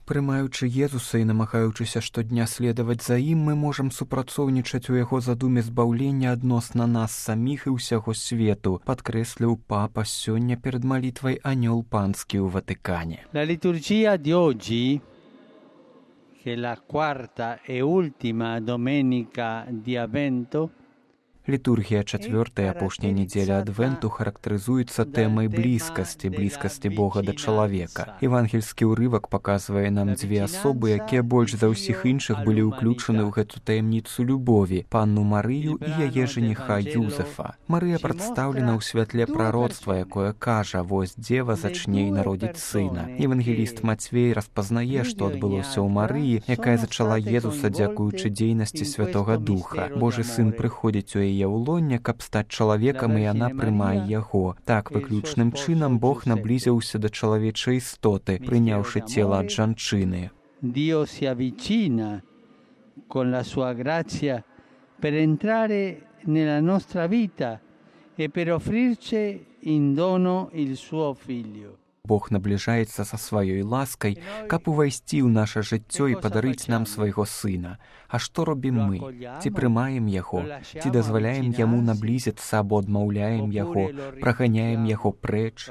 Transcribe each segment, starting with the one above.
Прымаючы Езуса і намагаючыся штодня следаваць за ім, мы можам супрацоўнічаць у яго задуме збаўлення адносна нас саміх і ўсяго свету, падкрэсліў папа сёння перад малітвай Анёл Панскі ў Ватыкане. La liturgia di oggi, che è la quarta e ultima domenica di Avvento, Літургія чацвёртая апошняя нядзеля адвенту характарызуецца тэмай блізкасці Бога да чалавека. Евангельскі ўрывак паказвае нам дзве асобы, якія больш за ўсіх іншых былі ўключаны ў гэту таямніцу любові, панну Марыю і яе жаніха Юзефа. Марыя прадстаўлена ў святле прароцтва, якое кажа: «Вось дзева зачне і народзіць сына». Евангеліст Мацвей распазнае, што адбылося ў Марыі, якая зачала Езуса дзякуючы дзейнасці Святога Духа. Божы сын прыходзіць у яе ў лонне, каб стаць чалавекам, і яна прымае яго. Так, выключным чынам Бог наблізіўся да чалавечай істоты, прыняўшы цела ад жанчыны. Dio si avvicina con la sua grazia per entrare nella nostra vita e per offrirci in dono il suo figlio. Бог набліжаецца са сваёй ласкай, каб увайсці ў наша жыццё і падарыць нам свайго сына. А што робім мы? Ці прымаем яго? Ці дазваляем яму наблізіцца або адмаўляем яго, праганяем яго прэч?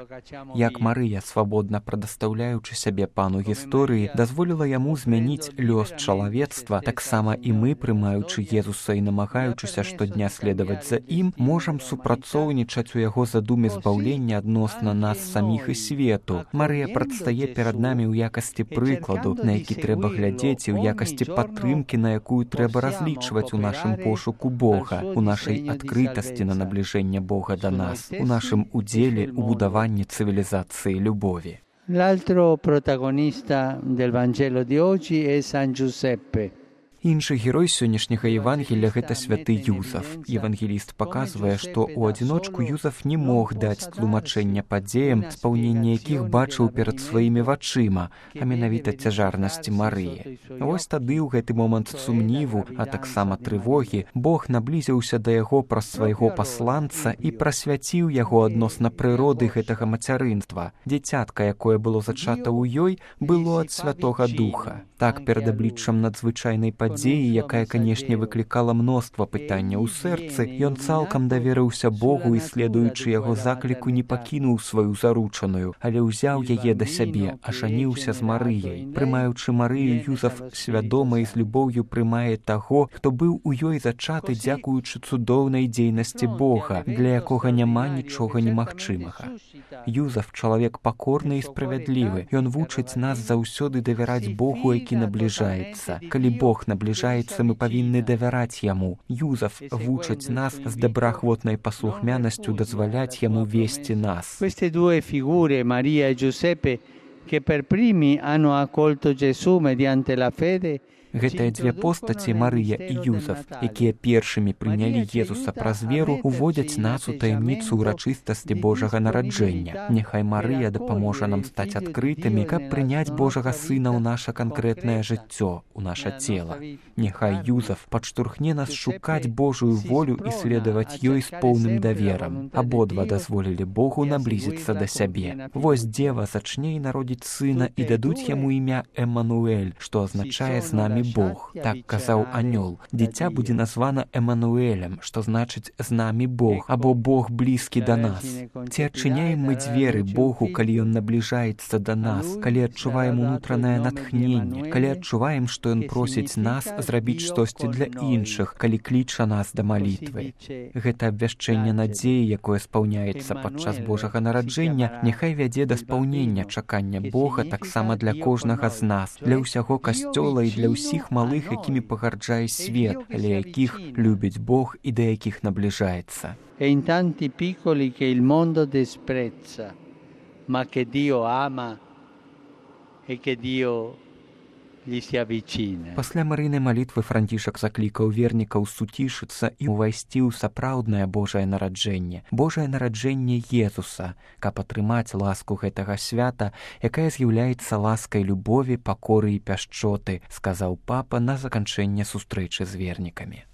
Як Марыя, свабодна прадастаўляючы сябе пану гісторыі, дазволіла яму змяніць лёс чалавецтва, таксама і мы, прымаючы Езуса і намагаючыся штодня следаваць за ім, можам супрацоўнічаць у яго задуме збаўлення адносна нас саміх і свету. Марыя прадстае перад намі ў якасці прыкладу, на які трэба глядзець, і ў якасці падтрымкі, на якую трэба разлічваць у нашым пошуку Бога, у нашай адкрытасці на набліжэнне Бога да нас, у нашым удзеле ў будаванні цывілізацыі любові. L'altro protagonista del Vangelo di oggi è San Giuseppe. Іншы герой сённяшняга Евангелія – гэта святы Юзаф. Евангеліст паказвае, што ў адзіночку Юзаф не мог даць тлумачэння падзеям, спаўненне якіх бачыў перад сваімі вачыма, а менавіта цяжарнасці Марыі. Вось тады ў гэты момант сумніву, а таксама трывогі, Бог наблізіўся да яго праз свайго пасланца і прасвяціў яго адносна прыроды гэтага мацярынства. Дзіцятка, якое было зачата ў ёй, было ад Святога Духа. Так, перад абліччам надзвычайнай падзеі, якая, канешне, выклікала мноства пытанняў у сэрцы, ён цалкам даверыўся Богу і, следуючы яго закліку, не пакінуў сваю заручаную, але ўзяў яе да сябе, ажаніўся з Марыяй. Прымаючы Марыю, Юзаф свядома і з любоўю прымае таго, хто быў у ёй зачаты дзякуючы цудоўнай дзейнасці Бога, для якога няма нічога немагчымага. Юзаф – чалавек пакорны і справядлівы. Ён вучыць нас заўсёды давяраць Богу, які набліжаецца. Калі Бог набліжаецца, мы павінны давяраць яму. Юзаф вучыць нас з добраахвотнай паслухмянасцю дазваляць яму весці нас. Queste due figure, Maria e Giuseppe, che per primi hanno accolto Gesù mediante la fede, Гэтыя дзве постаці, Марыя і Юзаф, якія першымі прынялі Езуса праз веру, уводзяць нас у таямніцу ўрачыстасці Божага нараджэння. Няхай Марыя дапаможа нам стаць адкрытымі, каб прыняць Божага Сына ў наша канкрэтнае жыццё, у наша цела. Няхай Юзаф падштурхне нас шукаць Божую волю і следаваць ёй з поўным даверам. Абодва дазволілі Богу наблізіцца да сябе. Вось дзева зачне і народзіць сына, і дадуць яму імя Эммануэль, што азначае «з намі Бог». Так казаў Анёл. Дзіця будзе названа Эммануэлем, што значыць «з намі Бог» або «Бог блізкі да нас». Ці адчыняем мы дзверы Богу, калі Ён набліжаецца да нас, калі адчуваем унутранае натхненне, калі адчуваем, што Ён просіць нас зрабіць штосьці для іншых, калі кліча нас да малітвы. Гэта абвяшчэнне надзеі, якое спаўняецца падчас Божага нараджэння, няхай вядзе да спаўнення чакання Бога таксама для кожнага з нас, для ўсяго касцёла і для ўсіх малых, якімі пагарджае свет, але якіх любіць Бог і да якіх набліжаецца. E in tanti piccoli che il mondo disprezza, ma che Dio ama e che Dio gli si avvicina. Пасля Марыйнай малітвы Францішак заклікаў вернікаў суцішыцца і ўвайсці ў сапраўднае Божае нараджэнне, Божае нараджэнне Езуса, каб атрымаць ласку гэтага свята, якая з'яўляецца ласкай любові, пакоры і пяшчоты, сказаў папа на заканчэнне сустрэчы з вернікамі.